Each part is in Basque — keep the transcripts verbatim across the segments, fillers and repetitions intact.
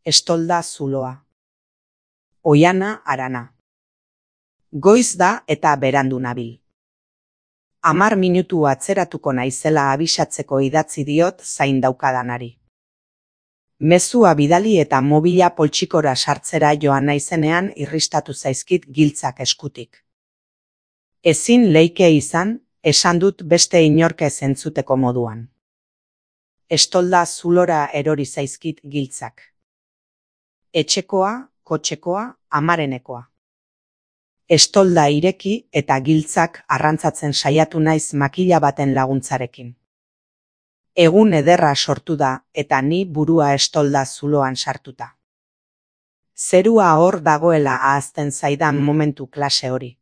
Estolda zuloa. Oiana harana. Goiz da eta berandu nabil. Hamar minutu atzeratuko naizela abisatzeko idatzi diot zain daukadanari. Mezua bidali eta mobila poltsikora sartzera joan naizenean irristatu zaizkit giltzak eskutik. Ezin leike izan, esan dut beste inork ez entzuteko moduan. Estolda zulora erori zaizkit giltzak. Etxekoa, kotxekoa, amarenekoa. Estolda ireki eta giltzak arrantzatzen saiatu naiz makila baten laguntzarekin. Egun ederra sortu da eta ni burua estolda zuloan sartuta. Zerua hor dagoela ahazten zaidan momentu klase hori.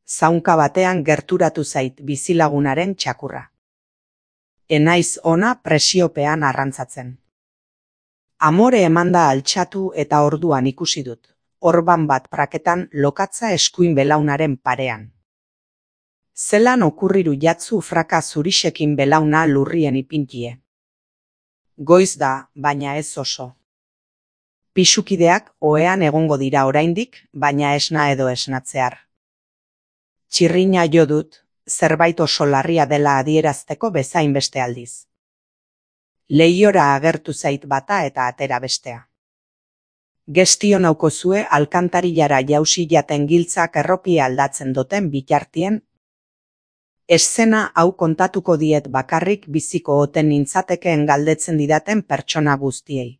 Zaunka batean gerturatu zait bizilagunaren txakurra. Enaiz ona presiopean arrantzatzen. Amore emanda altxatu eta orduan ikusi dut. Orban bat praketan lokatza eskuin belaunaren parean. Zelan okurriru jatzu fraka zurixekin belauna lurrien ipintie. Goiz da, baina ez oso. Pisukideak ohean egongo dira oraindik, baina esna edo esnatzear. Txirrina jo dut, zerbait oso larria dela adierazteko bezain beste aldiz. Lehiora agertu zait bata eta atera bestea. Gestio naukozue alkantarilara jausi jaten giltzak erropia aldatzen duten bitartien. Eszena hau kontatuko diet bakarrik biziko oten nintzatekeen galdetzen didaten pertsona guztiei.